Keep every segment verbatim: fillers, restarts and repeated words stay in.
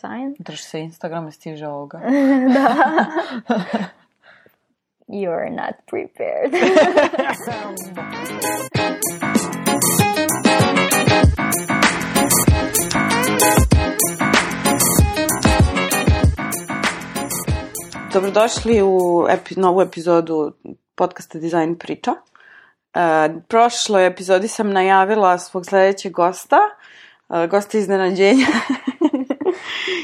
Sign. Drži se Instagrama, stiže ovoga. Da. You're not prepared. Dobrodošli u epi, novu epizodu podcasta Design priča. Uh, prošloj epizodi sam najavila svog sledećeg gosta, uh, gosta iznenađenja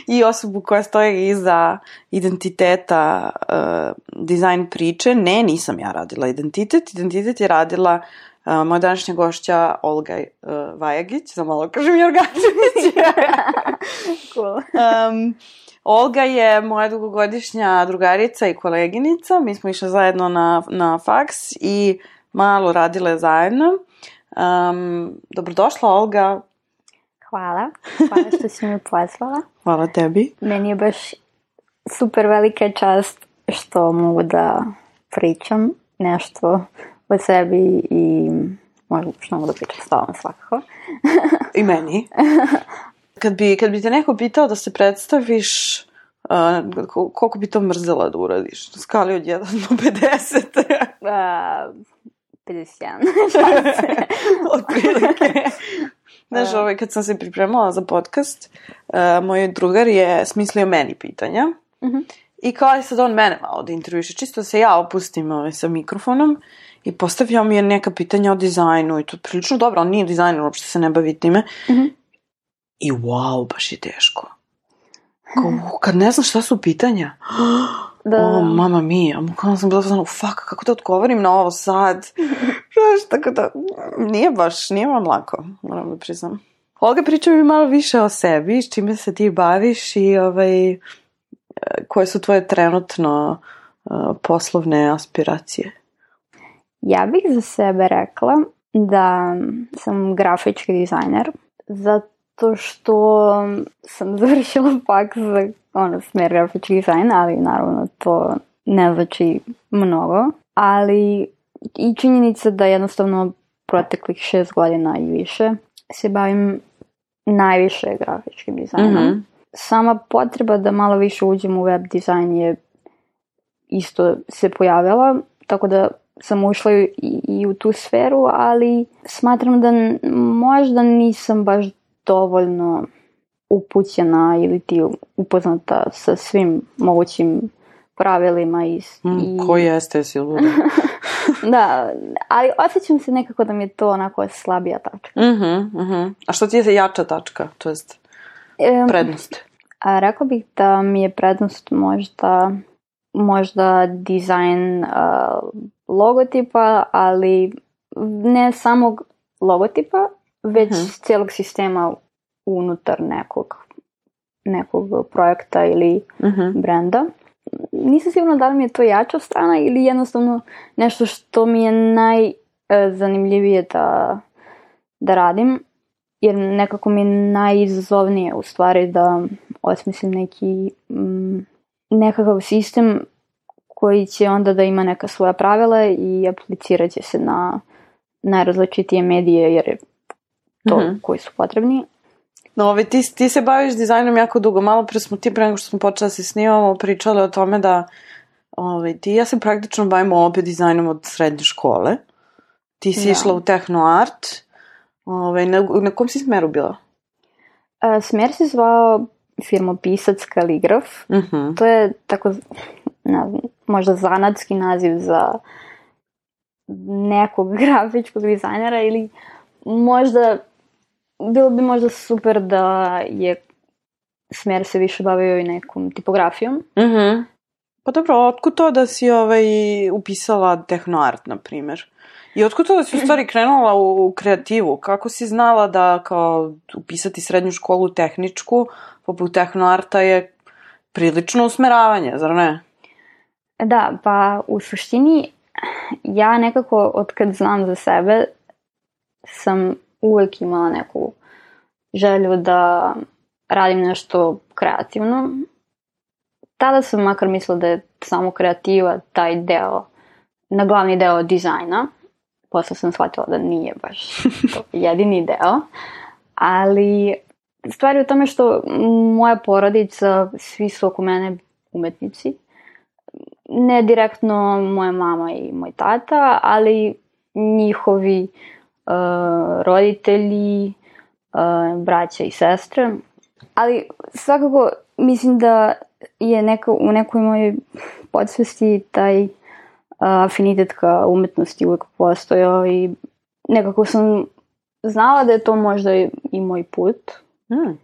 i osobu koja stoji iza identiteta uh, Design priče. Ne, nisam ja radila identitet. Identitet je radila uh, moja današnja gošća Olga uh, Vajagić, za malo kažem Jorgačević. Cool. um, Olga je moja dugogodišnja drugarica i koleginica. Mi smo išle zajedno na, na faks i malo radile zajedno. Um, dobrodošla, Olga. Hvala. Hvala što si mi pozvala. Hvala tebi. Meni je baš super velika čast što mogu da pričam nešto o sebi i možda što mogu da pričam s tobom svakako. I meni. Kad bi, kad bi te neko pitao da se predstaviš, uh, koliko bi to mrzela da uradiš? Na skali od jedan do pedeset. uh, pedeset jedan. Od prilike. Znaš, ovaj, kad sam se pripremala za podcast, uh, moj drugar je smislio meni pitanja. Uh-huh. I kao je sad on mene malo da intervjuše. Čisto da se ja opustim ovaj, sa mikrofonom i postavio mi je neka pitanja o dizajnu i to prilično dobro, on nije dizajner, uopšte se ne bavi time. Uh-huh. I wow, baš je teško. Kao, kad ne znam šta su pitanja. Da. O, mama mija. Kao sam bila znala, fuck, kako da odgovorim na ovo sad? Znaš, tako da, nije baš, nije vam lako, moram da priznam. Olga, priča mi malo više o sebi, s čime se ti baviš i ovaj, koje su tvoje trenutno uh, poslovne aspiracije? Ja bih za sebe rekla da sam grafički dizajner, zato što sam završila faks za ono, smer grafički dizajn, ali naravno to ne znači mnogo. Ali i činjenica da jednostavno proteklih šest godina i više se bavim najviše grafičkim dizajnom. Mm-hmm. Sama potreba da malo više uđem u web dizajn je isto se pojavila, tako da sam ušla i, i u tu sferu, ali smatram da možda nisam baš dovoljno upućena ili ti upoznata sa svim mogućim pravilima. I, mm, i... Ko jeste, si luda? Da, ali osjećam se nekako da mi je to onako slabija tačka. Mm-hmm, mm-hmm. A što ti je jača tačka, to jest prednost? A rekla bih da mi je prednost možda možda dizajn uh, logotipa, ali ne samog logotipa, već mm-hmm. cijelog sistema unutar nekog, nekog projekta ili mm-hmm. brenda. Nisam sigurna da li mi je to jača strana ili jednostavno nešto što mi je najzanimljivije da, da radim, jer nekako mi je najizazovnije u stvari da osmislim neki mm, nekakav sistem koji će onda da ima neka svoja pravila i aplicirat će se na najrazličitije medije, jer je to mm-hmm. koji su potrebni. No, ovaj, ti, ti se baviš dizajnom jako dugo. Malo pre smo ti, pre nego što smo počeli da se snimamo, pričali o tome da ovaj, ti ja se praktično bavim opet dizajnom od srednje škole. Ti si da. Išla u tehno art. Ovaj, na, na kom si smeru bila? A, smer se zvao firmopisac kaligraf. Mm-hmm. To je tako, ne znam, možda zanatski naziv za nekog grafičkog dizajnera ili možda bilo bi možda super da je smer se više bavio i nekom tipografijom. Mm-hmm. Pa dobro, otkud to da si ovaj, upisala tehnoart, na primjer? I otkud to da si u stvari krenula u, u kreativu? Kako si znala da kao upisati srednju školu tehničku, poput tehnoarta je prilično usmeravanje, zar ne? Da, pa u suštini ja nekako od kad znam za sebe sam uvek imala neku želju da radim nešto kreativno. Tada sam makar mislila da je samo kreativa taj deo, na glavni deo dizajna. Posle sam shvatila da nije baš to jedini deo. Ali stvar je u tome što moja porodica, svi su oko mene umetnici. Ne direktno moja mama i moj tata, ali njihovi uh, roditelji, uh, braća i sestre. Ali svakako mislim da je neko, u nekoj mojoj podsvesti taj uh, afinitet ka umetnosti uvijek postojao i nekako sam znala da je to možda i moj put. Mm.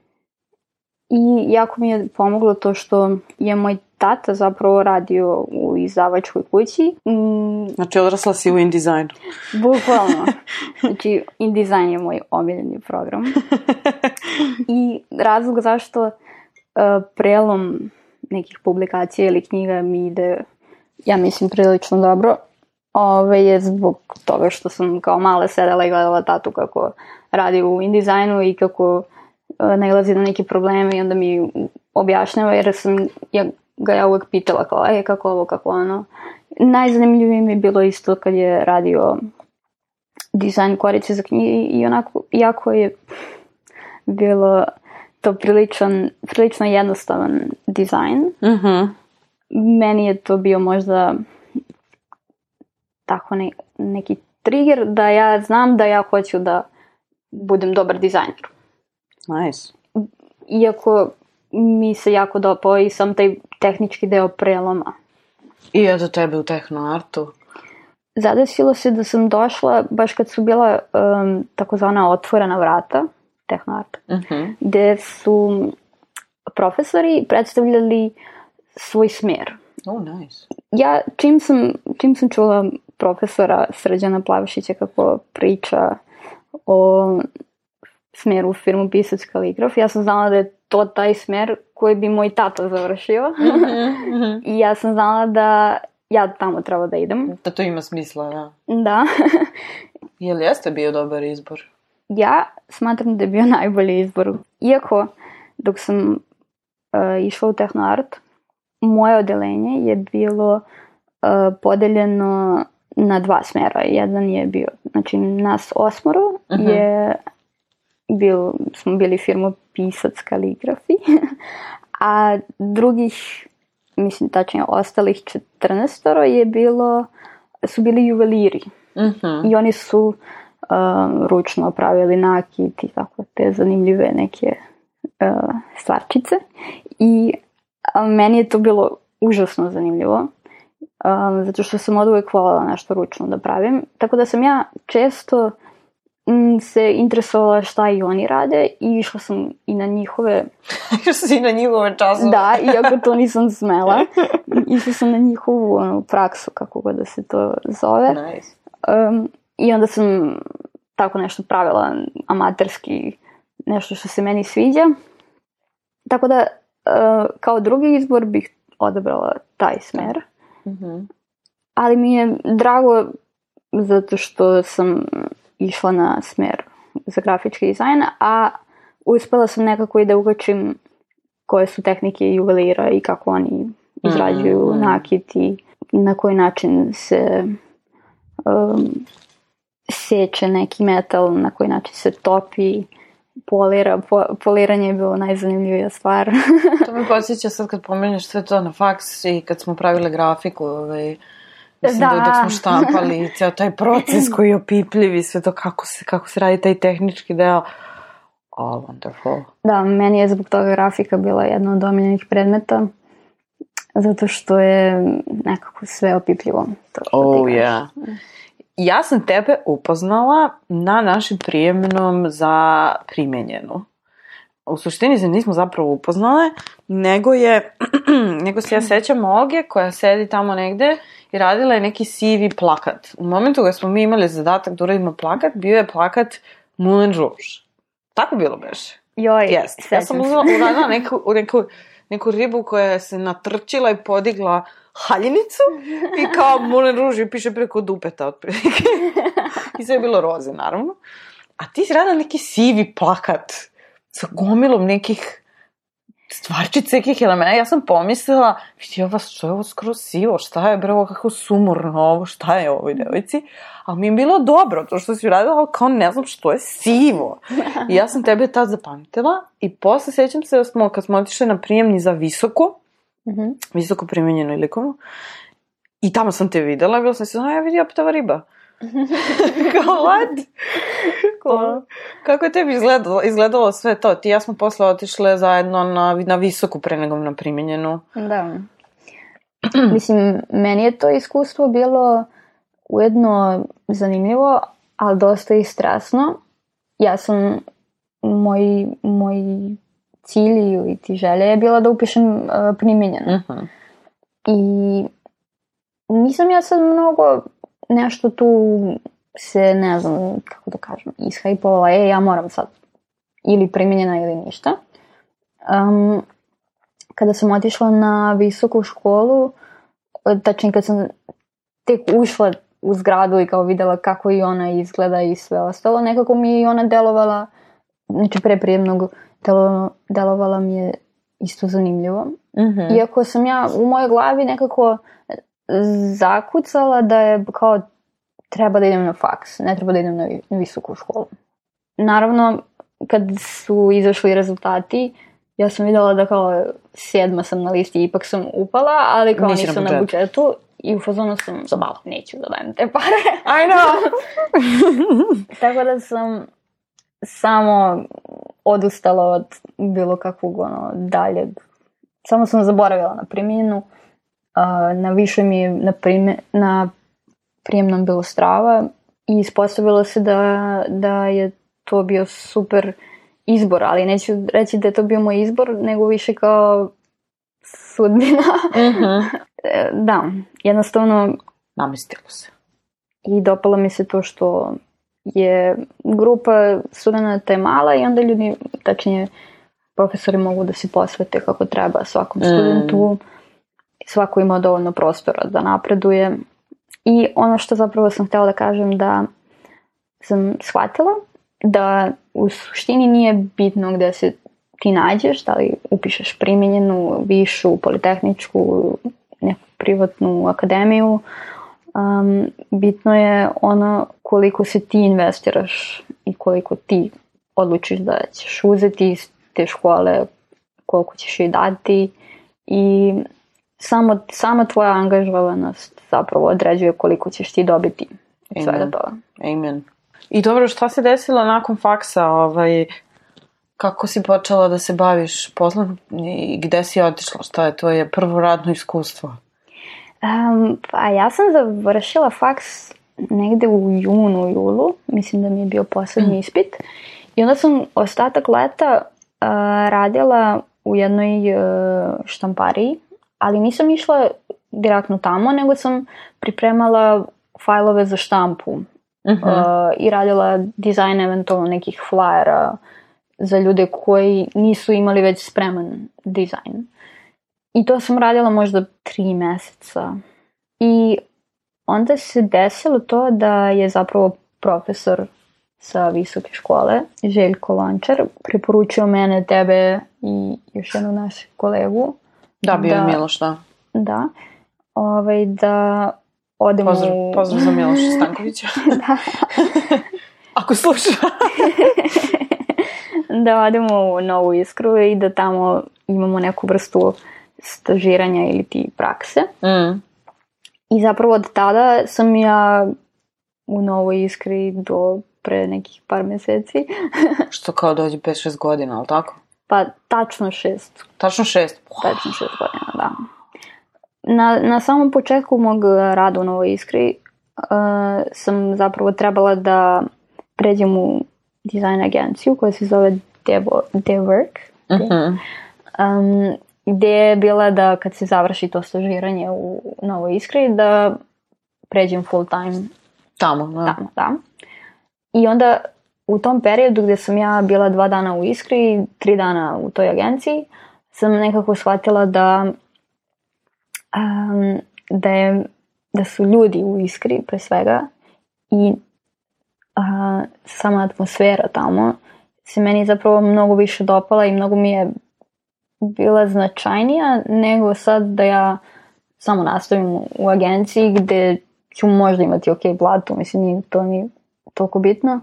I jako mi je pomoglo to što je moj tata zapravo radio u izdavačkoj kući. Mm. Znači odrasla si u InDesignu. Bukvalno. Znači InDesign je moj omiljeni program. I razlog zašto uh, prelom nekih publikacija ili knjiga mi ide, ja mislim, prilično dobro. Ove je zbog toga što sam kao mala sedela i gledala tatu kako radi u InDesignu i kako uh, nailazi na neke probleme i onda mi objašnjava, jer sam ja, ga ja uvek pitala kao, e, kako ovo, kako ono. Najzanimljivije mi je bilo isto kad je radio dizajn korice za knjige i onako, jako je bilo to priličan, prilično jednostavan dizajn. Mm-hmm. Meni je to bio možda tako ne, neki trigger da ja znam da ja hoću da budem dobar dizajner. Nice. Iako mi se jako dopao i sam taj tehnički deo preloma. I eto tebe u tehnoartu? Zadesilo se da sam došla baš kad su bila um, takozvana otvorena vrata tehnoarta, uh-huh. gde su profesori predstavljali svoj smer. Oh, nice. Ja čim sam, čim sam čula profesora Srđana Plavšića kako priča o smeru u firmu pisac kaligraf, ja sam znala da je to taj smer koji bi moj tata završio. Mm-hmm, mm-hmm. I ja sam znala da ja tamo treba da idem. Da to ima smisla, da. Da. Je li jeste bio dobar izbor? Ja smatram da je bio najbolji izbor. Iako, dok sam uh, išla u tehnoart, moje odelenje je bilo uh, podeljeno na dva smera. Jedan je bio, znači nas osmoro uh-huh. je bil, smo bili firma pisac kaligrafi, a drugih, mislim tačnije ostalih četrnaestoro je bilo, su bili juveliri. Uh-huh. I oni su um, ručno pravili nakit i tako te zanimljive neke uh, stvarčice. I um, meni je to bilo užasno zanimljivo. Um, zato što sam od uvek voljela nešto ručno da pravim. Tako da sam ja često m, se interesovala šta i oni rade i išla sam i na njihove... Išla si na njihove časove. Da, iako to nisam smela. Išla sam na njihovu ono, praksu, kako god da se to zove. Nice. Um, I onda sam tako nešto pravila amaterski, nešto što se meni sviđa. Tako da uh, kao drugi izbor bih odabrala taj smer. Mm-hmm. Ali mi je drago zato što sam išla na smer za grafički dizajn, a uspela sam nekako i da ugačim koje su tehnike juvelira i kako oni izrađuju mm-hmm. nakit i na koji način se um, seče neki metal, na koji način se topi, polira. Po, poliranje je bilo najzanimljivija stvar. To mi podsjeća sad kad pomeneš sve to na faks i kad smo pravile grafiku, ovaj, mislim da, da dok smo štampali ceo taj proces koji je opipljiv i sve to kako se, kako se radi taj tehnički deo. Oh, wonderful. Da, meni je zbog toga grafika bila jedna od omiljenih predmeta, zato što je nekako sve opipljivo. To što oh, ti yeah. Ja sam tebe upoznala na našem prijemnom za primenjenu. U suštini se nismo zapravo upoznale, nego je, nego se ja sećam Olge koja sedi tamo negde i radila je neki sivi plakat. U momentu kada smo mi imali zadatak da uradimo plakat, bio je plakat Moulin Rouge. Tako bilo beše. Joj, yes. Ja sam uradila neku, neku, neku ribu koja se natrčila i podigla haljinicu i kao Moulin Rouge i piše preko dupeta otprilike. I sve je bilo roze, naravno. A ti si radila neki sivi plakat sa gomilom nekih stvarčice nekih elemena. Ja sam pomislila, vidi ova, što je ovo skroz sivo, šta je bre ovo, kako sumorno ovo, šta je ovoj devojci? Ali mi je bilo dobro, to što si uradila, ali kao ne znam što je sivo. I ja sam tebe tad zapamtila i posle sećam se da smo, kad smo otišli na prijemni za visoko, mm-hmm. visoko primenjeno i likovno, i tamo sam te videla i bila sam se, a ja vidi opet ova riba. Kao, what? Cool. Kako je tebi izgledalo, izgledalo sve to? Ti i ja smo posle otišle zajedno na, na visoku pre nego na primenjenu. Da. Mislim, meni je to iskustvo bilo ujedno zanimljivo, ali dosta i stresno. Ja sam, moj, moj cilj ili ti želja je bila da upišem uh, primenjeno. Uh-huh. I nisam ja sad mnogo nešto tu se, ne znam, kako da kažem, ishajpovala, e, ja moram sad ili primenjena ili ništa. Um, kada sam otišla na visoku školu, tačnije kad sam tek ušla u zgradu i kao videla kako i ona izgleda i sve ostalo, nekako mi je i ona delovala, znači pre prijemnog delo, delovala mi je isto zanimljivo. Mm-hmm. Iako sam ja u mojoj glavi nekako zakucala da je kao treba da idem na faks, ne treba da idem na visoku školu. Naravno, kad su izašli rezultati, ja sam videla da kao sedma sam na listi, ipak sam upala, ali kao Nisi nisam na, na budžetu i u fazonu sam za malo, neću da dajem te pare. I know! Tako da sam samo odustala od bilo kakvog ono daljeg. Samo sam zaboravila na primjenu. Uh, na više mi je na, prime, na prijemnom bilo strava i ispostavilo se da, da je to bio super izbor, ali neću reći da je to bio moj izbor, nego više kao sudbina. Mm-hmm. Da, jednostavno namestilo se. I dopalo mi se to što je grupa studenata je mala i onda ljudi, tačnije profesori mogu da se posvete kako treba svakom studentu. Mm. Svako ima dovoljno prostora da napreduje. I ono što zapravo sam htjela da kažem da sam shvatila da u suštini nije bitno gde se ti nađeš, da li upišeš primenjenu, višu, politehničku, neku privatnu akademiju. Um, bitno je ono koliko se ti investiraš i koliko ti odlučiš da ćeš uzeti iz te škole, koliko ćeš joj dati i samo, sama tvoja angažovanost zapravo određuje koliko ćeš ti dobiti od svega toga. Amen. I dobro, šta se desilo nakon faksa? Ovaj, kako si počela da se baviš poslom i gde si otišla? Šta je tvoje prvo radno iskustvo? Um, pa ja sam završila faks negde u junu, julu. Mislim da mi je bio poslednji mm. ispit. I onda sam ostatak leta uh, radila u jednoj uh, štampariji, ali nisam išla direktno tamo, nego sam pripremala fajlove za štampu. Uh-huh. Uh, i radila dizajn eventualno nekih flyera za ljude koji nisu imali već spreman dizajn. I to sam radila možda tri meseca. I onda se desilo to da je zapravo profesor sa visoke škole, Željko Lončar, preporučio mene, tebe i još jednu našu kolegu. Da, bio je Miloš, da. Da. Ovaj, da odemo... Pozdrav, pozdrav za Miloša Stankovića. Da. Ako sluša. Da odemo u Novu Iskru i da tamo imamo neku vrstu stažiranja ili ti prakse. Mm. I zapravo od tada sam ja u Novoj Iskri do pre nekih par meseci. Što kao dođe pet šest godina, ali tako? Pa tačno šest. Tačno šest? Tačno šest godina, da. Na, na samom početku mog rada u Novoj Iskri uh, sam zapravo trebala da pređem u dizajn agenciju koja se zove Devo, Dework. Uh-huh. Um, gde je bila da kad se završi to stažiranje u Novoj Iskri da pređem full time tamo. Da. Tamo, da. I onda u tom periodu gde sam ja bila dva dana u Iskri, tri dana u toj agenciji, sam nekako shvatila da um, da, je, da su ljudi u Iskri pre svega i uh, sama atmosfera tamo se meni zapravo mnogo više dopala i mnogo mi je bila značajnija nego sad da ja samo nastavim u agenciji gde ću možda imati ok platu, mislim nije to ni toliko bitno,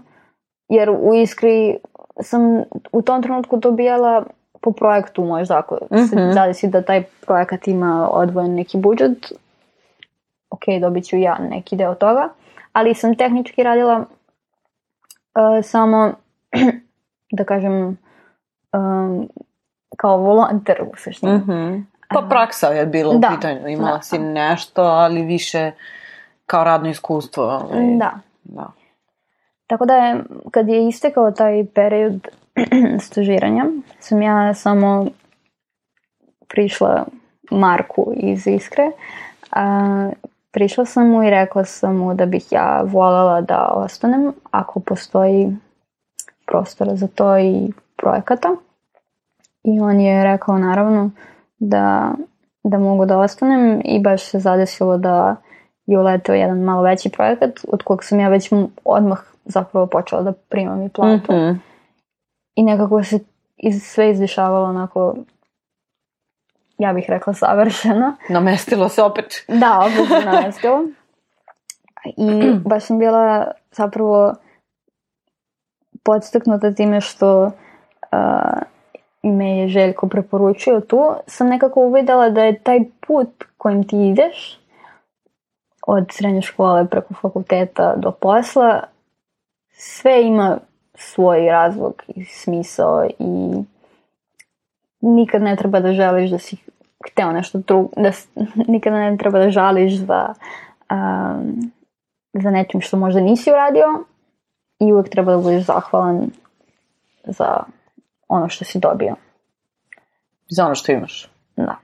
jer u Iskri sam u tom trenutku dobijala po projektu možda, ako mm-hmm. se zadesi da taj projekat ima odvojen neki budžet, ok, dobit ću ja neki deo toga, ali sam tehnički radila uh, samo, da kažem, um, kao volonter u suštini. Mm-hmm. Pa praksa je bilo u da, pitanju, imala da, si nešto, ali više kao radno iskustvo. Ali... Da. da. Tako da je, kad je istekao taj period stažiranja, sam ja samo prišla Marku iz Iskre. A, prišla sam mu i rekla sam mu da bih ja voljela da ostanem ako postoji prostora za to i projekata. I on je rekao naravno da, da mogu da ostanem i baš se zadesilo da je uleteo jedan malo veći projekat od kojeg sam ja već odmah zapravo počela da primam i platu. Mm-hmm. I nekako se iz, sve izdešavalo onako, ja bih rekla, savršeno. Namestilo se opet. Da, opet se namestilo. I baš sam bila zapravo podstaknuta time što uh, me je Željko preporučio tu. Sam nekako uvidela da je taj put kojim ti ideš od srednje škole preko fakulteta do posla, sve ima svoj razlog i smisao i nikad ne treba da želiš da si hteo nešto drugo, da nikad ne treba da žališ za, um, za nečim što možda nisi uradio i uvek treba da budeš zahvalan za ono što si dobio. Za ono što imaš. Da.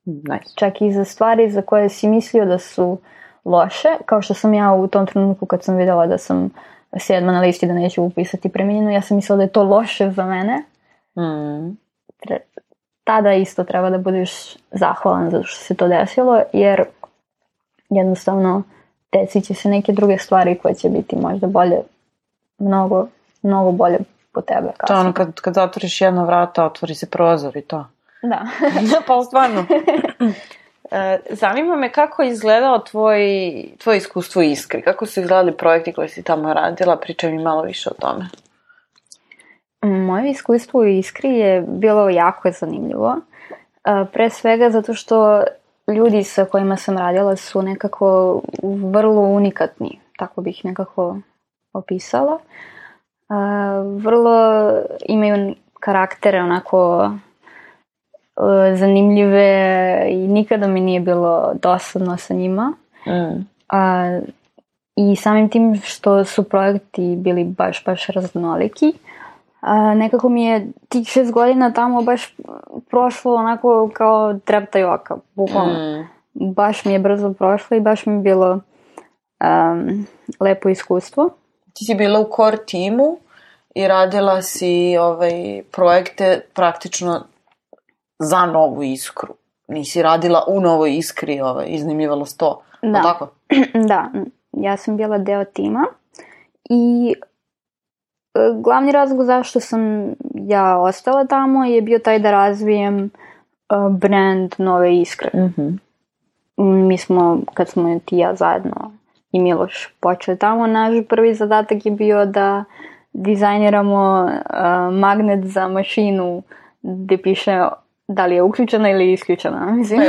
Nice. Čak i za stvari za koje si mislio da su loše, kao što sam ja u tom trenutku kad sam videla da sam sedma na listi da neću upisati preminjenu, ja sam mislila da je to loše za mene. Mm. Tada isto treba da budeš zahvalan zato što se to desilo, jer jednostavno desit će se neke druge stvari koje će biti možda bolje, mnogo, mnogo bolje po tebe. To ono kad, kad zatvoriš jedno vrata, otvori se prozor i to. Da. Pa stvarno. E, zanima me kako je izgledao tvoj, tvoj iskustvo u Iskri. Kako su izgledali projekti koje si tamo radila? Pričaj mi malo više o tome. Moje iskustvo u Iskri je bilo jako zanimljivo. E, pre svega zato što ljudi sa kojima sam radila su nekako vrlo unikatni. Tako bih nekako opisala. E, vrlo imaju karaktere onako zanimljive i nikada mi nije bilo dosadno sa njima. Mm. A, i samim tim što su projekti bili baš, baš raznoliki, a, nekako mi je tih šest godina tamo baš prošlo onako kao treptaj oka, bukvalno. Mm. Baš mi je brzo prošlo i baš mi je bilo um, lepo iskustvo. Ti si bila u core timu i radila si ovaj, projekte praktično za Novu Iskru. Nisi radila u Novoj Iskri, ovaj, iznajmljivala sto. Da. Tako? Da, ja sam bila deo tima i glavni razlog zašto sam ja ostala tamo je bio taj da razvijem brand Nove Iskre. Mm-hmm. Mi smo, kad smo ti ja zajedno i Miloš počeli tamo, naš prvi zadatak je bio da dizajniramo uh, magnet za mašinu gde piše da li je uključena ili isključena, mislim.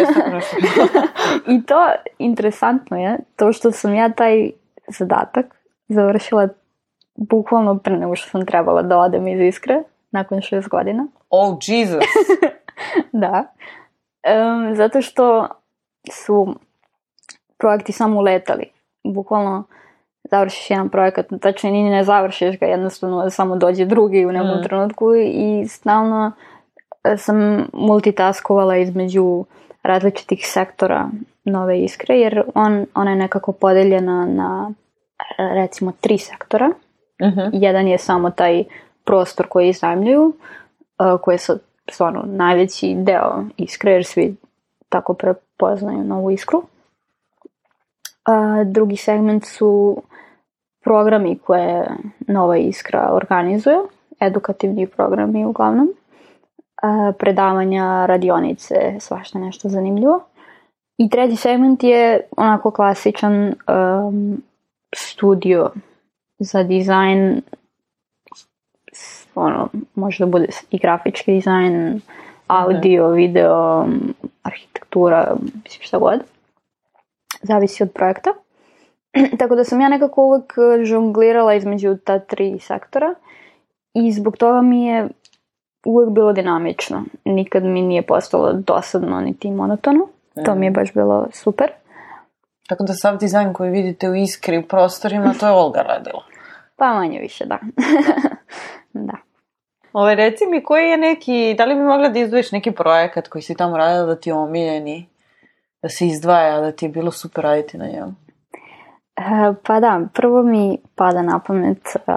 I to interesantno je, to što sam ja taj zadatak završila bukvalno pre nego što sam trebala da odem iz Iskre, nakon šest godina. Oh, Jesus! Da. Um, zato što su projekti samo uletali. Bukvalno završiš jedan projekat, tačno ni ne završiš ga, jednostavno samo dođe drugi u nekom mm. trenutku i stalno sam multitaskovala između različitih sektora Nove Iskre, jer on, ona je nekako podeljena na recimo tri sektora. Mm-hmm. Jedan je samo taj prostor koji iznajmljuju, koji je stvarno najveći deo Iskre, jer svi tako prepoznaju Novu Iskru. A drugi segment su programi koje Nova Iskra organizuje, edukativni programi uglavnom. uh, predavanja, radionice, svašta nešto zanimljivo. I treći segment je onako klasičan um, studio za dizajn, ono, može da bude i grafički dizajn, audio, video, arhitektura, mislim šta god. Zavisi od projekta. Tako da sam ja nekako uvek žonglirala između ta tri sektora i zbog toga mi je uvek bilo dinamično. Nikad mi nije postalo dosadno niti monotono. Mm. To mi je baš bilo super. Tako da sav dizajn koji vidite u Iskri, u prostorima, to je Olga radila. Pa manje više, da. Da. Ove, reci mi, koji je neki, da li bi mogla da izdvojiš neki projekat koji si tamo radila da ti je omiljeni, da se izdvaja, da ti je bilo super raditi na njemu? Uh, pa da, prvo mi pada na pamet uh,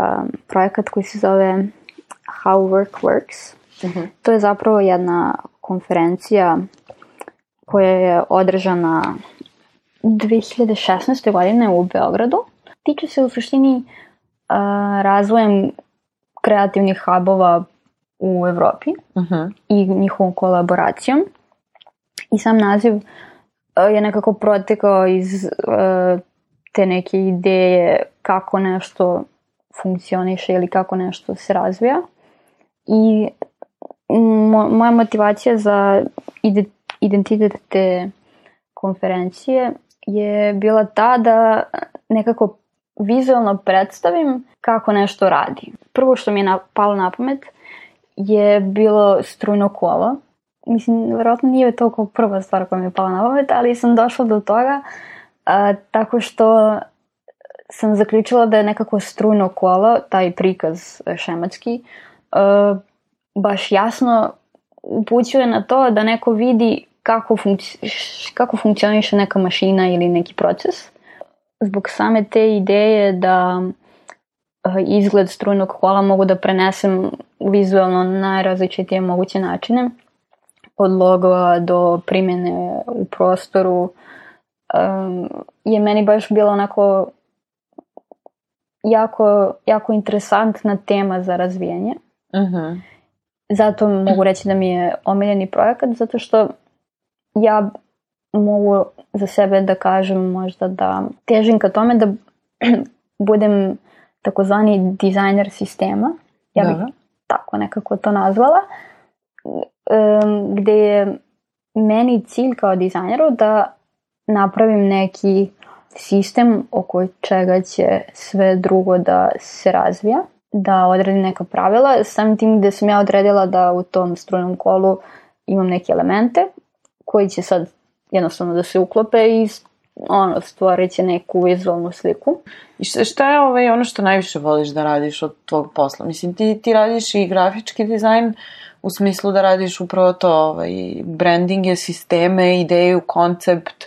projekat koji se zove How Work Works. Uh-huh. To je zapravo jedna konferencija koja je održana dve hiljade šesnaeste. godine u Beogradu. Tiče se u suštini uh, razvojem kreativnih hubova u Evropi uh-huh. i njihovom kolaboracijom. I sam naziv uh, je nekako protekao iz uh, te neke ideje kako nešto funkcioniše ili kako nešto se razvija. I mo- moja motivacija za ide- identitet te konferencije je bila ta da nekako vizualno predstavim kako nešto radi. Prvo što mi je palo na pamet je bilo strujno kolo. Mislim, verovatno nije to prva stvar koja mi je pala na pamet, ali sam došla do toga a, tako što sam zaključila da je nekako strujno kolo, taj prikaz šematski, a, baš jasno upućuje na to da neko vidi kako, funkci- kako funkcioniše neka mašina ili neki proces. Zbog same te ideje da izgled strujnog kola mogu da prenesem vizualno na najrazličitije moguće načine, od logova do primjene u prostoru, um, je meni baš bilo onako jako, jako interesantna tema za razvijanje. Uh-huh. Zato mogu reći da mi je omiljeni projekat, zato što ja mogu za sebe da kažem možda da težim ka tome da budem takozvani dizajner sistema. Ja bih Dobro. tako nekako to nazvala. Um, gde je meni cilj kao dizajneru da napravim neki sistem oko čega će sve drugo da se razvija, da odredim neka pravila, samim tim gde sam ja odredila da u tom strujnom kolu imam neke elemente koji će sad jednostavno da se uklope i ono, stvorit će neku vizualnu sliku. I šta, šta je ovaj, ono što najviše voliš da radiš od tvog posla? Mislim, ti, ti radiš i grafički dizajn u smislu da radiš upravo to, ovaj, brandinge, sisteme, ideju, koncept,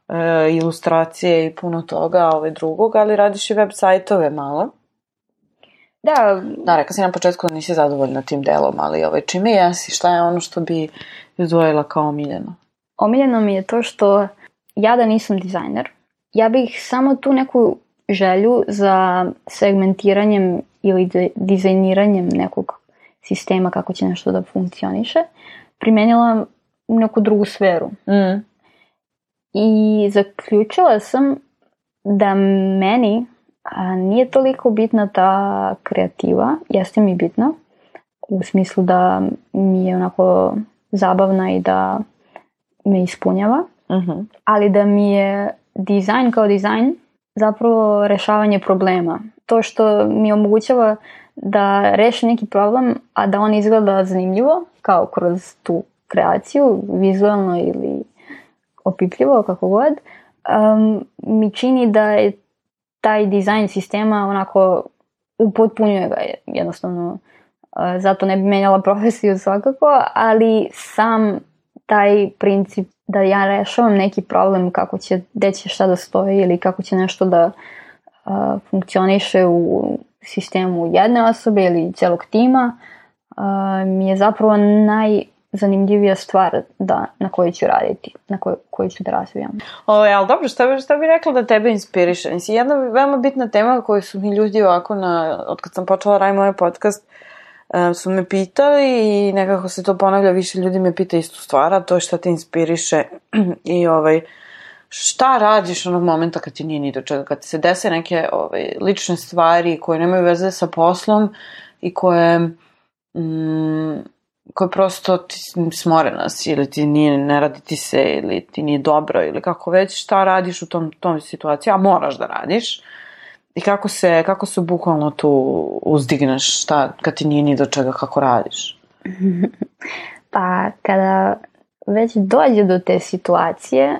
e, ilustracije i puno toga ovaj, drugog, ali radiš i web sajtove malo. Da. Da, rekao si na početku da nisi zadovoljna tim delom, ali ovaj, čime jesi? Šta je ono što bi izdvojila kao omiljeno? Omiljeno mi je to što ja da nisam dizajner, ja bih samo tu neku želju za segmentiranjem ili de- dizajniranjem nekog sistema kako će nešto da funkcioniše primenila u neku drugu sferu. Mm. I zaključila sam da meni a, nije toliko bitna ta kreativa, jeste mi bitna u smislu da mi je onako zabavna i da me ispunjava, uh-huh. ali da mi je dizajn kao dizajn zapravo rešavanje problema. To što mi omogućava da rešim neki problem, a da on izgleda zanimljivo, kao kroz tu kreaciju, vizualno ili opipljivo, kako god, um, mi čini da je taj dizajn sistema onako upotpunjuje ga jednostavno. Uh, zato ne bi menjala profesiju svakako, ali sam taj princip da ja rešavam neki problem, kako će, gde će šta da stoji ili kako će nešto da uh, funkcioniše u sistemu jedne osobe ili celog tima, uh, mi je zapravo najzanimljivija stvar da, na kojoj ću raditi, na koj, koju ću da razvijam. O, ali dobro, šta bi, šta bi rekla da tebe inspiriše? Mislim, jedna veoma bitna tema koju su mi ljudi ovako, na, od kad sam počela raditi moj podcast, su me pitali i nekako se to ponavlja, više ljudi me pita istu stvar, a to je šta te inspiriše i ovaj, šta radiš onog momenta kad ti nije ni do čega, kad ti se dese neke ovaj, lične stvari koje nemaju veze sa poslom i koje mm, koje prosto ti smorena si ili ti nije, ne radi ti se ili ti nije dobro ili kako već, šta radiš u tom, tom situaciji, a moraš da radiš. I kako se, kako se bukvalno tu uzdigneš, šta, kad ti nije ni do čega, kako radiš? Pa, kada već dođe do te situacije,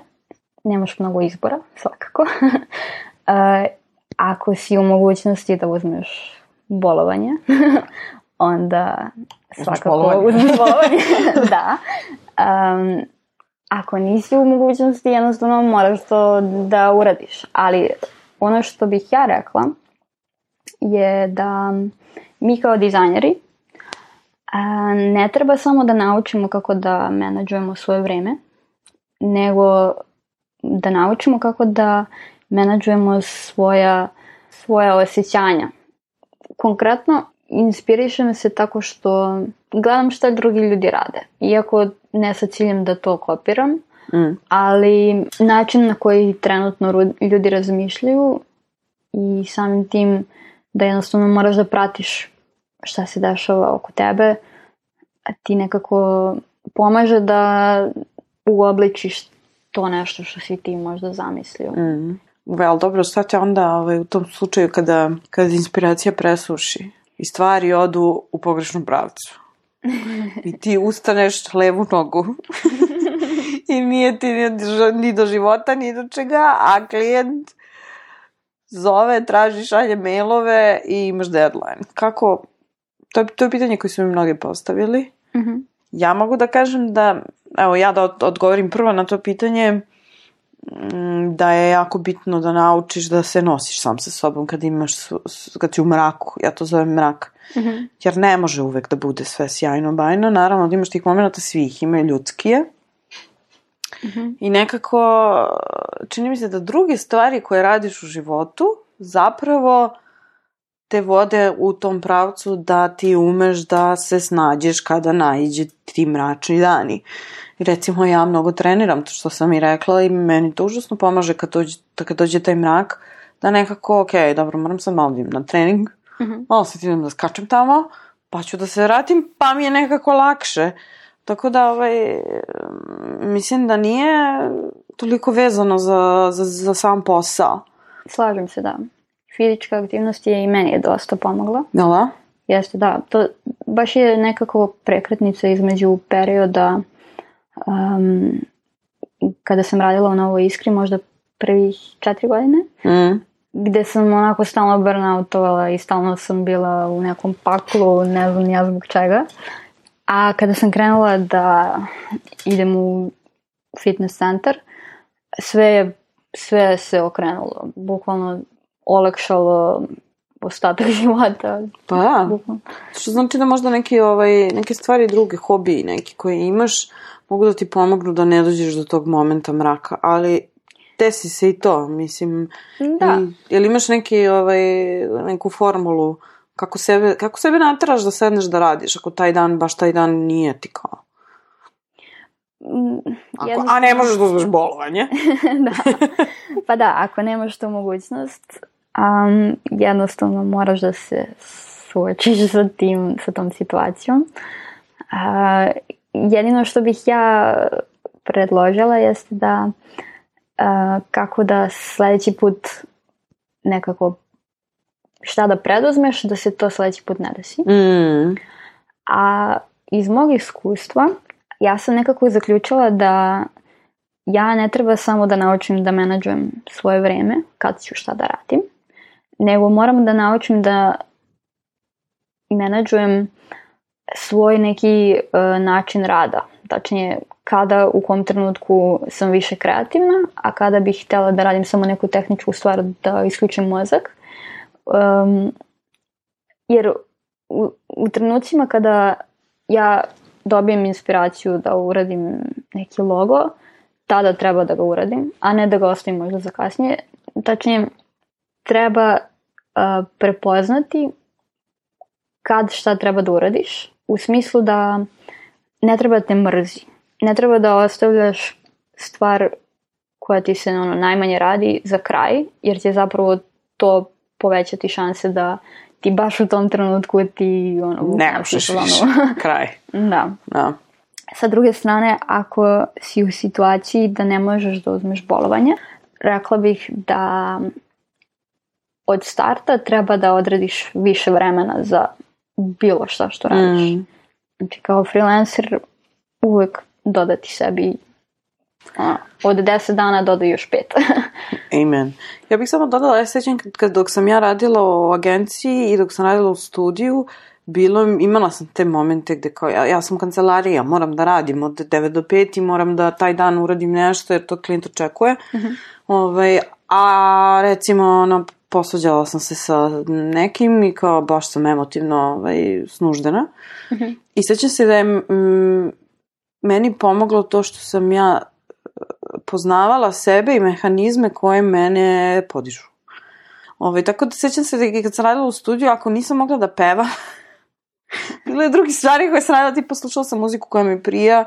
nemaš mnogo izbora, svakako. uh, ako si u mogućnosti da uzmeš bolovanje, onda svakako uzmeš bolovanje. Da. Um, ako nisi u mogućnosti, jednostavno moraš to da uradiš. Ali ono što bih ja rekla je da mi kao dizajneri ne treba samo da naučimo kako da menadžujemo svoje vreme, nego da naučimo kako da menadžujemo svoja, svoja osjećanja. Konkretno, inspirišem se tako što gledam šta drugi ljudi rade. Iako ne sa ciljem da to kopiram, mm. ali način na koji trenutno ljudi razmišljaju i samim tim da jednostavno moraš da pratiš šta se dešava oko tebe, a ti nekako pomaže da uobličiš to nešto što si ti možda zamislio. Mm. Vel, dobro, šta će onda ovaj, u tom slučaju kada, kada inspiracija presuši i stvari odu u pogrešnom pravcu i ti ustaneš levu nogu i nije ti ni do života, ni do čega, a klijent zove, traži, šalje mailove i imaš deadline. Kako, to je, to je pitanje koje su mi mnogi postavili. Mm-hmm. Ja mogu da kažem da, evo ja da odgovorim prvo na to pitanje, da je jako bitno da naučiš da se nosiš sam sa sobom kad imaš, kad si u mraku, ja to zovem mrak, mm-hmm. jer ne može uvek da bude sve sjajno bajno, naravno da imaš tih momenta, svih imaju ljudskije, mm-hmm. i nekako čini mi se da druge stvari koje radiš u životu zapravo te vode u tom pravcu da ti umeš da se snađeš kada naiđe ti mračni dani. I recimo ja mnogo treniram, to što sam i rekla, i meni to užasno pomaže kad dođe, kad dođe taj mrak, da nekako, ok, dobro, moram sad malo idem na trening, mm-hmm. malo sad idem da skačem tamo, pa ću da se vratim, pa mi je nekako lakše. Tako da, ovaj, mislim da nije toliko vezano za, za, za sam posao. Slažem se, da. Fizička aktivnost je i meni je dosta pomogla. Da? Jeste, da. To baš je nekako prekretnica između perioda um, kada sam radila u Novoj Iskri, možda prvih četiri godine, mm. gde sam onako stalno burnoutovala i stalno sam bila u nekom paklu, ne znam ja zbog čega. A kada sam krenula da idem u fitness centar, sve je, sve se okrenulo. Bukvalno olakšalo ostatak života. Pa da. Bukvalno. Što znači da možda neki, ovaj, neke stvari druge, hobiji neki koji imaš, mogu da ti pomognu da ne dođeš do tog momenta mraka. Ali desi se i to, mislim. Da. I, jel imaš neki, ovaj, neku formulu kako sebe, kako sebe nateraš da sedneš da radiš, ako taj dan, baš taj dan nije ti kao? Ako, jednostavno... A ne možeš da uzmeš bolovanje. Da. Pa da, ako nemaš tu mogućnost, um, jednostavno moraš da se suočiš sa tim, sa tom situacijom. Uh, jedino što bih ja predložila jeste da uh, kako da sledeći put nekako šta da preduzmeš da se to sledeći put ne desi. Mm. A iz mog iskustva ja sam nekako zaključila da ja ne treba samo da naučim da menadžujem svoje vreme, kad ću šta da radim, nego moram da naučim da menadžujem svoj neki uh, način rada. Tačnije, kada u kom trenutku sam više kreativna, a kada bih htjela da radim samo neku tehničku stvar, da isključim mozak. Um, jer u, u trenucima kada ja dobijem inspiraciju da uradim neki logo, tada treba da ga uradim, a ne da ga ostavim možda za kasnije. Tačnije, treba uh, prepoznati kad šta treba da uradiš, u smislu da ne treba da te mrzi. Ne treba da ostavljaš stvar koja ti se ono, najmanje radi za kraj, jer će zapravo to povećati šanse da ti baš u tom trenutku ti ono, ne možeš više, kraj. Da. Da. Sa druge strane, ako si u situaciji da ne možeš da uzmeš bolovanje, rekla bih da od starta treba da odrediš više vremena za bilo šta što radiš. Mm. Znači kao freelancer uvek dodati sebi a, od deset dana dodaj još pet. Amen. Ja bih samo dodala, ja sećam kad dok sam ja radila u agenciji i dok sam radila u studiju, bilo, imala sam te momente gde kao, ja, ja sam kancelarija, moram da radim od devet do pet i moram da taj dan uradim nešto jer to klijent očekuje. Mm-hmm. Ovaj, a recimo ono, posvađala sam se sa nekim i kao baš sam emotivno ovaj, snuždena. Mm-hmm. I sećam se da je m, meni pomoglo to što sam ja poznavala sebe i mehanizme koje mene podižu. Ove, tako da sećam se da kad sam radila u studiju, ako nisam mogla da pevam, bilo je drugi stvari koje sam radila, tipa slušala sam muziku koja mi prija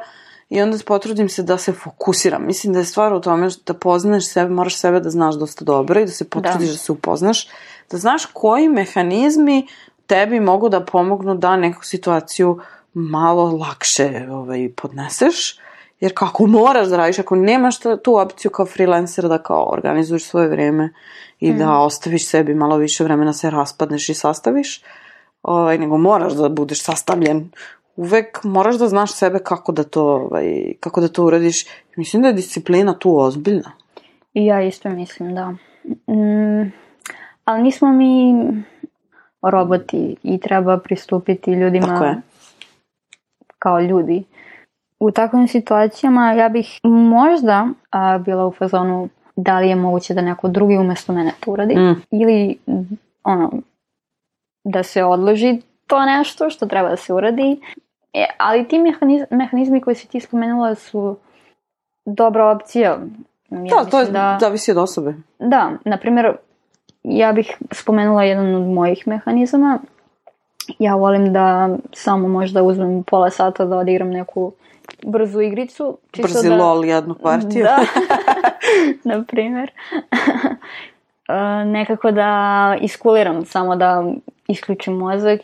i onda potrudim se da se fokusiram. Mislim da je stvar u tome da poznaš sebe, moraš sebe da znaš dosta dobro i da se potrudiš da, da se upoznaš, da znaš koji mehanizmi tebi mogu da pomognu da neku situaciju malo lakše ovaj, podneseš. Jer kako moraš da radiš, ako nemaš tu opciju kao freelancer da kao organizuješ svoje vreme i mm. da ostaviš sebi malo više vremena, se raspadneš i sastaviš, ovaj, nego moraš da budeš sastavljen. Uvek moraš da znaš sebe kako da to, ovaj, kako da to uradiš. Mislim da je disciplina tu ozbiljna. I ja isto mislim, da. Mm, ali nismo mi roboti i treba pristupiti ljudima kao ljudi. U takvim situacijama ja bih možda a, bila u fazonu da li je moguće da neko drugi umjesto mene to uradi mm. ili ono, da se odloži to nešto što treba da se uradi. E, ali ti mehanizmi, mehanizmi koji si ti spomenula su dobra opcija. Ja da, to je da, zavisi od osobe. Da, na primjer, ja bih spomenula jedan od mojih mehanizama. Ja volim da samo možda uzmem pola sata da odigram neku brzu igricu. Brzi da, lol jednu partiju. Da, na primjer. Nekako da iskuliram, samo da isključim mozak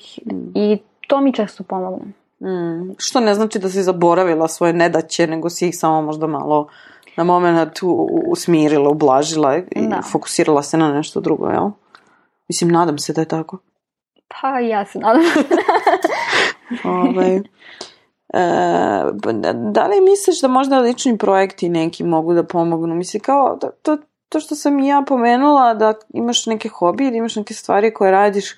i to mi često pomogne. Mm. Što ne znači da si zaboravila svoje nedaće, nego si ih samo možda malo na moment usmirila, ublažila i da. Fokusirala se na nešto drugo, jel? Mislim, nadam se da je tako. Pa ja se nadam. ovaj... E, da li misliš da možda lični projekti neki mogu da pomognu? Mislim, kao da, to, to što sam i ja pomenula, da imaš neke hobije, da imaš neke stvari koje radiš,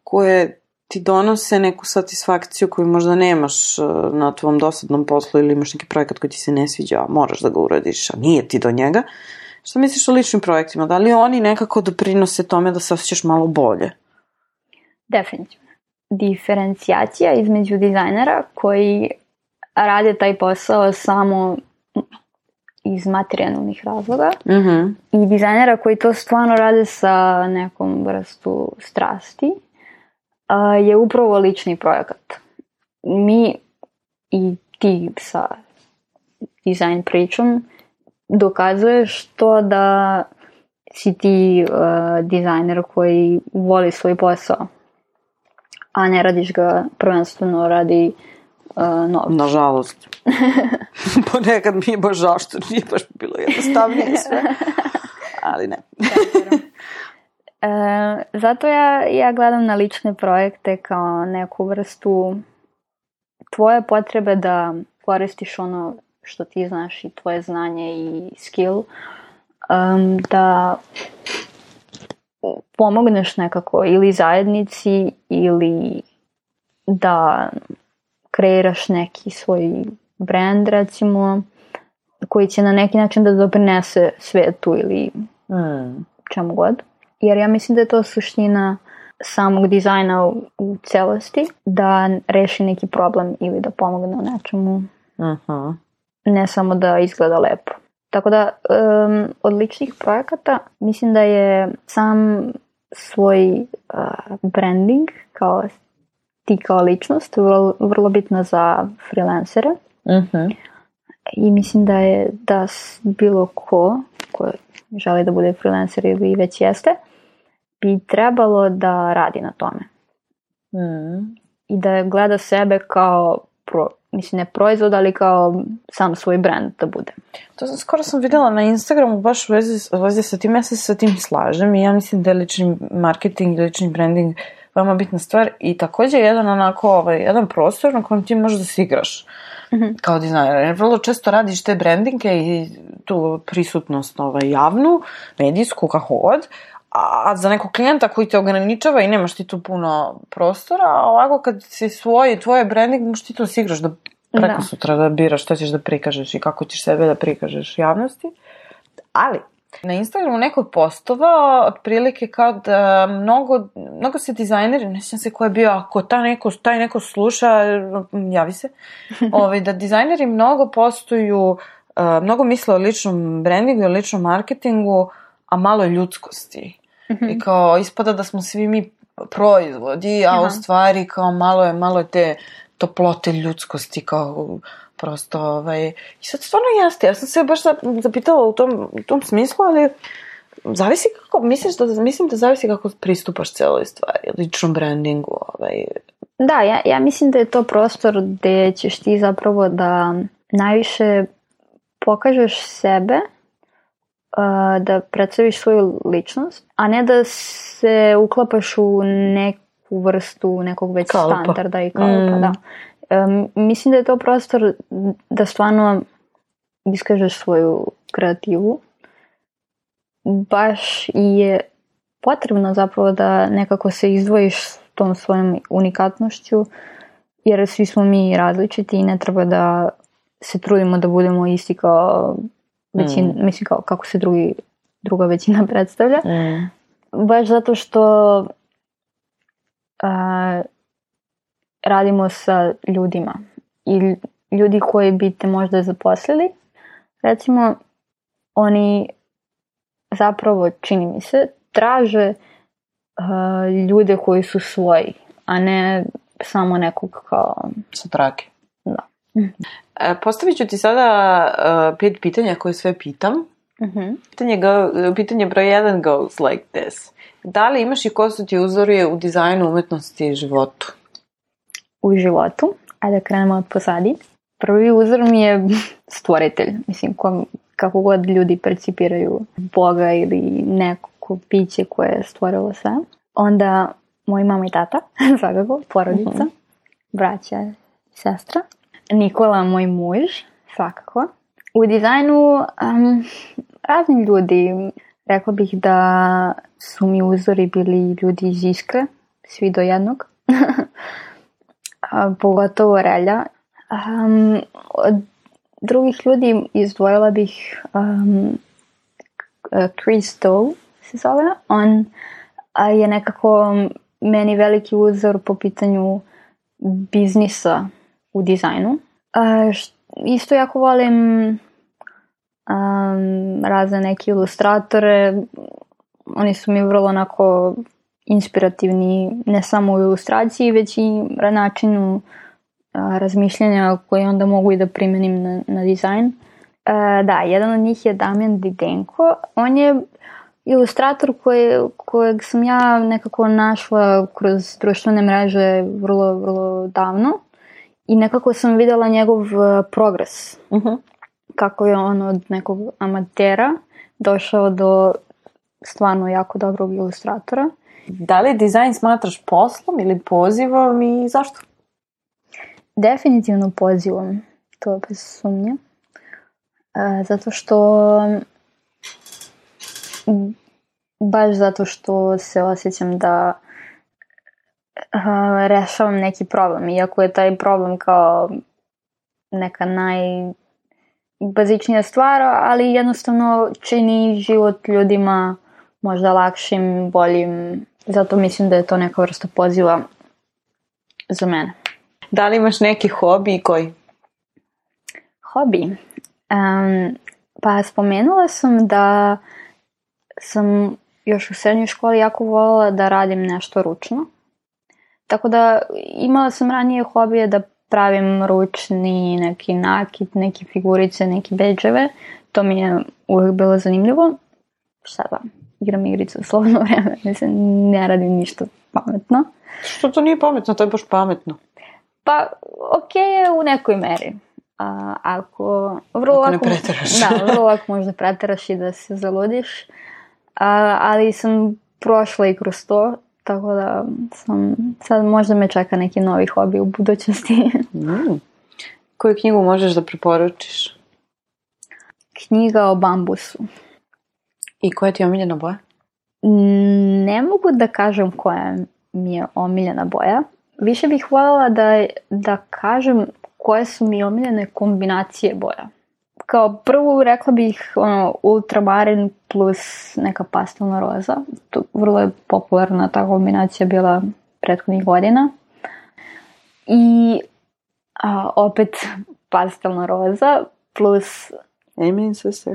koje ti donose neku satisfakciju koju možda nemaš na tvom dosadnom poslu ili imaš neki projekat koji ti se ne sviđa, a moraš da ga uradiš, a nije ti do njega. Što misliš o ličnim projektima? Da li oni nekako doprinose tome da se osjećaš malo bolje? Definitivno. Diferencijacija između dizajnera koji rade taj posao samo iz materijalnih razloga mm-hmm. i dizajnera koji to stvarno rade sa nekom vrstu strasti uh, je upravo lični projekat. Mi i ti sa dizajn pričom dokazuješ to da si ti uh, dizajner koji voli svoj posao, a ne radiš ga prvenstveno radi uh, novca. Nažalost. Ponekad mi je baš žao što nije baš bilo jednostavnije sve. Ali ne. e, zato ja, ja gledam na lične projekte kao neku vrstu tvoje potrebe da koristiš ono što ti znaš i tvoje znanje i skill, um, da pomogneš nekako ili zajednici ili da kreiraš neki svoj brand, recimo, koji će na neki način da doprinese svetu ili mm. čemu god. Jer ja mislim da je to suština samog dizajna u, u celosti, da reši neki problem ili da pomogne u nečemu. Uh-huh. Ne samo da izgleda lepo. Tako da, um, od ličnih projekata mislim da je sam svoj uh, branding kao ti kao ličnost, vrlo, vrlo bitno za freelancere. Uh-huh. I mislim da je da bilo ko ko želi da bude freelancer ili već jeste, bi trebalo da radi na tome. Mm. I da gleda sebe kao pro, mislim ne proizvod, ali kao sam svoj brand da bude. To sam, skoro sam vidjela na Instagramu baš u vezi, u vezi sa tim, ja se sa tim slažem i ja mislim da je lični marketing i lični branding veoma bitna stvar i također jedan onako, ovaj, jedan prostor na kojem ti možeš da se igraš mm-hmm. kao dizajner. Jer vrlo često radiš te brandinge i tu prisutnost ovaj, javnu, medijsku, kako god, a za nekog klijenta koji te ograničava i nemaš ti tu puno prostora, a ovako kad si svoj, tvoje branding, možeš ti to se igraš da preko da. sutra da biraš što ćeš da prikažeš i kako ćeš sebe da prikažeš javnosti. Ali, na Instagramu neko je postovao otprilike kao da mnogo, mnogo se dizajneri, ne sjećam se ko je bio, ako ta neko, taj neko sluša, javi se, ovaj, da dizajneri mnogo postuju, mnogo misle o ličnom brandingu i o ličnom marketingu, a malo ljudskosti. Mm-hmm. I kao ispada da smo svi mi proizvodi, a Aha. u stvari kao malo je, malo je te toplote ljudskosti, kao prosto, ovaj, i sad stvarno jeste, ja sam se baš zapitala u tom, u tom smislu, ali zavisi kako, misliš da, mislim da zavisi kako pristupaš celoj stvari, ličnom brandingu, ovaj. Da, ja, ja mislim da je to prostor gde ćeš ti zapravo da najviše pokažeš sebe, da predstaviš svoju ličnost, a ne da se uklapaš u neku vrstu nekog već kalpa. standarda i kalpa, mm. da. Um, mislim da je to prostor da stvarno iskažeš svoju kreativu. Baš je potrebno zapravo da nekako se izdvojiš s tom svojom unikatnošću, jer svi smo mi različiti i ne treba da se trudimo da budemo isti kao većina, mm. mislim kao kako se drugi, druga većina predstavlja. Mm. Baš zato što uh, radimo sa ljudima i ljudi koji bi te možda zaposlili, recimo, oni zapravo, čini mi se, traže uh, ljude koji su svoji, a ne samo nekog kao sa trake. Da. E, postavit ću ti sada uh, pet pitanja koje sve pitam. Uh-huh. Pitanje, go, pitanje broj jedan goes like this. Da li imaš i ko su ti uzori u dizajnu, umetnosti i životu? U životu, ajde da krenemo od posadi. Prvi uzor mi je stvoritelj. Mislim, kom, kako god ljudi percipiraju Boga ili neko biće koje je stvorilo sve. Onda moj mama i tata, svakako, porodica, uh-huh. braća, sestra. Nikola, moj muž, svakako. U dizajnu um, razni ljudi. Rekla bih da su mi uzori bili ljudi iz Iskre, svi do jednog. A, pogotovo Relja. Um, od drugih ljudi izdvojila bih um, Chris Doe se zove. On a, je nekako meni veliki uzor po pitanju biznisa u dizajnu. Uh, š, isto jako volim um, razne neke ilustratore. Oni su mi vrlo onako inspirativni, ne samo u ilustraciji, već i na načinu uh, razmišljanja koje onda mogu i da primenim na, na dizajn. Uh, da, jedan od njih je Damjan Didenko. On je ilustrator koje, kojeg sam ja nekako našla kroz društvene mreže vrlo, vrlo davno. I nekako sam vidjela njegov uh, progres. Uh-huh. Kako je on od nekog amatera došao do stvarno jako dobrog ilustratora. Da li dizajn smatraš poslom ili pozivom i zašto? Definitivno pozivom. To je bez sumnje. Uh, zato što baš zato što se osjećam da Uh, rešavam neki problem, iako je taj problem kao neka najbazičnija stvar, ali jednostavno čini život ljudima možda lakšim, boljim, zato mislim da je to neka vrsta poziva za mene. Da li imaš neki hobi i koji? Hobi? Um, pa spomenula sam da sam još u srednjoj školi jako voljela da radim nešto ručno. Tako da imala sam ranije hobije da pravim ručni neki nakit, neke figurice, neke bedževe. To mi je uvijek bilo zanimljivo. Šta da, igram igrice u slobodno vreme. Mislim, ne radim ništa pametno. Što to nije pametno? To je baš pametno. Pa, ok je u nekoj meri. A, ako... Vrlo ako ne lako, preteraš. Da, vrlo lako možda preteraš i da se zaludiš. A, ali sam prošla i kroz to. Tako da sam, sad možda me čeka neki novi hobi u budućnosti. Mm. Koju knjigu možeš da preporučiš? Knjiga o bambusu. I koja ti je omiljena boja? Ne mogu da kažem koja mi je omiljena boja. Više bih voljela da, da kažem koje su mi omiljene kombinacije boja. Kao prvu rekla bih ono, ultramarin plus neka pastelna roza. To vrlo je popularna ta kombinacija bila prethodnih godina. I a, opet pastelna roza plus Amen, sister.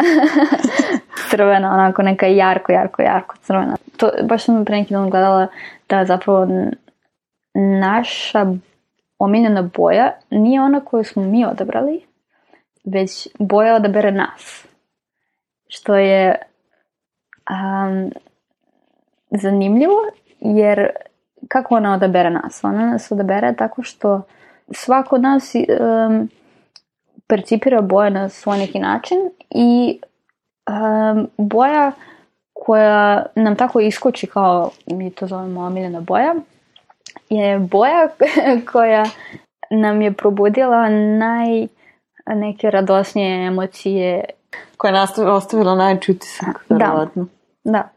crvena, onako neka jarko, jarko, jarko crvena. To, baš sam pre neki dan gledala da zapravo naša omiljena boja nije ona koju smo mi odabrali, već boja odabere nas. Što je um, zanimljivo, jer kako ona odabere nas? Ona nas odabere tako što svako od nas um, percipira boje na svoj neki način i um, boja koja nam tako iskoči, kao mi to zovemo omiljena boja, je boja koja nam je probudila naj neke radosnije emocije. Koja je ostavila najveći utisak, verovatno. Da.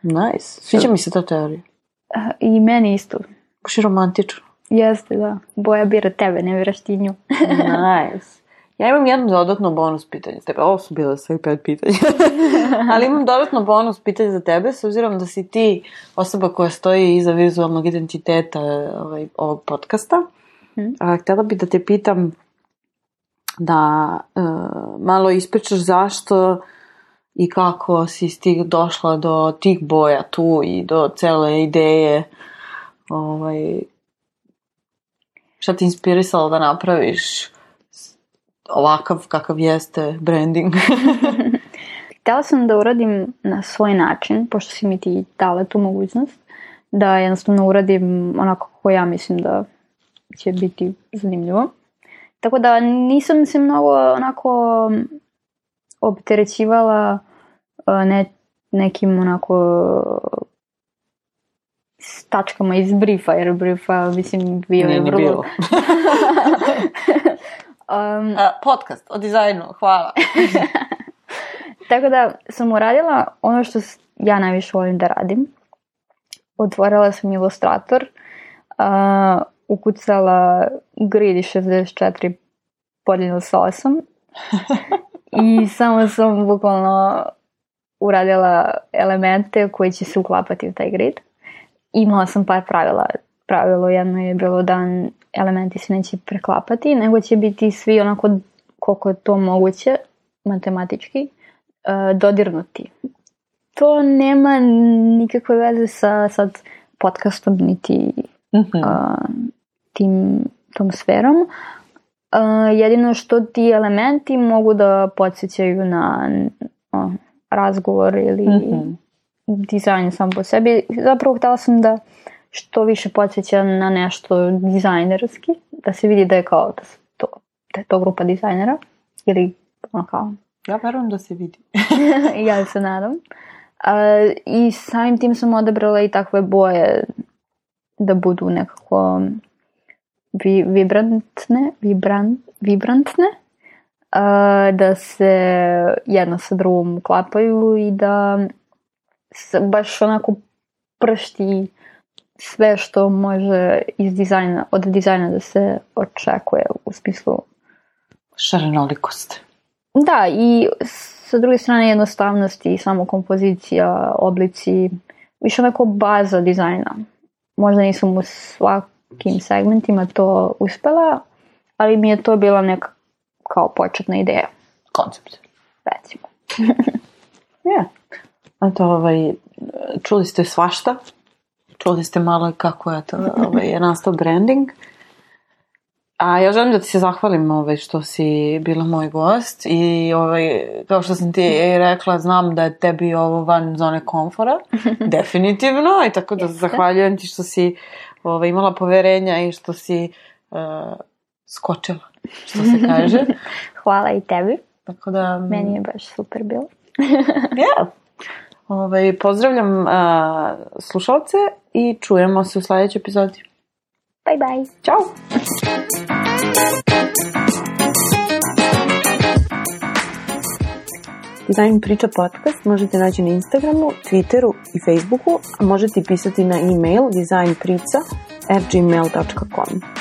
Nice. Sviđa mi se ta teorija. I meni isto. Baš je romantično. Jeste, da. Boja bira tebe, ne biraš ti nju. Nice. Ja imam jedno dodatno bonus pitanje za tebe. Ovo su bile sve pet pitanja. Ali imam dodatno bonus pitanje za tebe, s obzirom da si ti osoba koja stoji iza vizualnog identiteta ovaj, ovog podcasta. Hmm. A, htjela bi da te pitam da uh, malo ispričaš zašto i kako si stig došla do tih boja tu i do cele ideje, ovaj, šta ti inspirisalo da napraviš ovakav kakav jeste branding? Htjela sam da uradim na svoj način, pošto si mi ti dala tu mogućnost, da jednostavno uradim onako kako ja mislim da će biti zanimljivo. Tako da nisam se mnogo onako opterećivala ne, nekim onako tačkama iz briefa, jer briefa mislim bio je vrlo... bilo. um, A, podcast o dizajnu, hvala. Tako da sam uradila ono što ja najviše volim da radim. Otvorila sam Illustrator, uh, ukucala grid šezdeset četiri podijeljeno sa osam i samo sam bukvalno uradila elemente koji će se uklapati u taj grid. Imala sam par pravila. Pravilo jedno je bilo da elementi se neće preklapati, nego će biti svi onako koliko je to moguće matematički dodirnuti. To nema nikakve veze sa sad podcastom niti mm-hmm. uh, tim, tom sferom. Uh, jedino što ti elementi mogu da podsjećaju na uh, razgovor ili mm-hmm. dizajn sam po sebi. Zapravo htjela sam da što više podsjeća na nešto dizajnerski, da se vidi da je kao da, to, da je to grupa dizajnera ili ono kao. Ja verujem da se vidi. Ja se nadam. Uh, I samim tim sam odabrala i takve boje da budu nekako vi, vibrantne, vibrant, vibrantne, uh, da se jedno sa drugom uklapaju i da se baš onako pršti sve što može iz dizajna, od dizajna da se očekuje u smislu šarenolikost. Da, i sa druge strane jednostavnosti, samo kompozicija, oblici, više onako baza dizajna. Možda nisam u svakim segmentima to uspela, ali mi je to bila neka kao početna ideja. Koncept. Recimo. Ja. A to ovaj, čuli ste svašta čuli ste malo kako je, to, ovaj, je nastao branding. A ja želim da ti se zahvalim ovaj, što si bila moj gost i ovaj, kao što sam ti rekla, znam da je tebi ovo van zone komfora, definitivno, i tako da zahvaljujem ti što si ovaj, imala poverenja i što si uh, skočila, što se kaže. Hvala i tebi. Tako da... Meni je baš super bilo. Ja. Ovaj, pozdravljam uh, slušalce i čujemo se u sljedećoj epizodi. Bye bye. Ćao. Design Priča podcast možete naći na Instagramu, Twitteru i Facebooku, a možete pisati na e-mail designprica at gmail dot com.